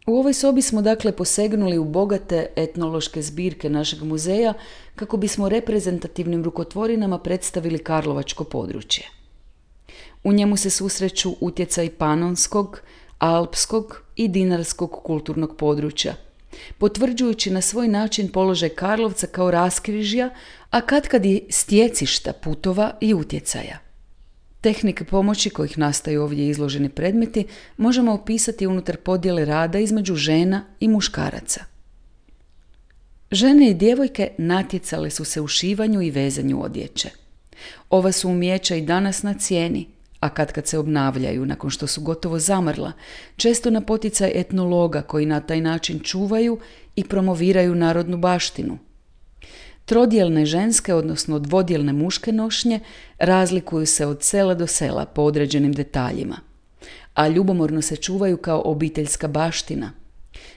U ovoj sobi smo dakle posegnuli u bogate etnološke zbirke našeg muzeja kako bismo reprezentativnim rukotvorinama predstavili karlovačko područje. U njemu se susreću utjecaj panonskog, alpskog i dinarskog kulturnog područja, potvrđujući na svoj način položaj Karlovca kao raskrižja, a katkad i stjecišta putova i utjecaja. Tehnike pomoći kojih nastaju ovdje izloženi predmeti možemo opisati unutar podjele rada između žena i muškaraca. Žene i djevojke natjecale su se u šivanju i vezanju odjeće. Ova su umijeća i danas na cijeni, a kad se obnavljaju nakon što su gotovo zamrla, često na poticaj etnologa koji na taj način čuvaju i promoviraju narodnu baštinu. Trodjelne ženske, odnosno dvodjelne muške nošnje, razlikuju se od sela do sela po određenim detaljima, a ljubomorno se čuvaju kao obiteljska baština.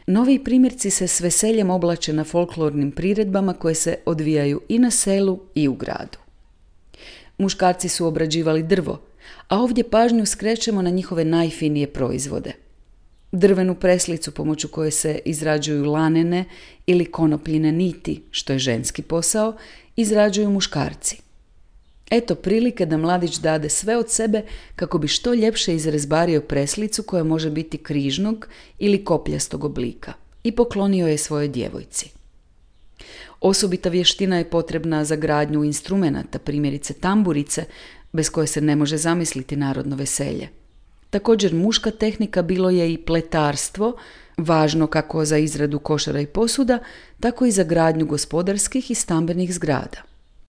Novi primjerci se s veseljem oblače na folklornim priredbama koje se odvijaju i na selu i u gradu. Muškarci su obrađivali drvo, a ovdje pažnju skrećemo na njihove najfinije proizvode. Drvenu preslicu pomoću koje se izrađuju lanene ili konopljine niti, što je ženski posao, izrađuju muškarci. Eto prilike da mladić dade sve od sebe kako bi što ljepše izrezbario preslicu koja može biti križnog ili kopljastog oblika i poklonio je svojoj djevojci. Osobita vještina je potrebna za gradnju instrumenata, primjerice tamburice, bez koje se ne može zamisliti narodno veselje. Također muška tehnika bilo je i pletarstvo, važno kako za izradu košara i posuda, tako i za gradnju gospodarskih i stambenih zgrada.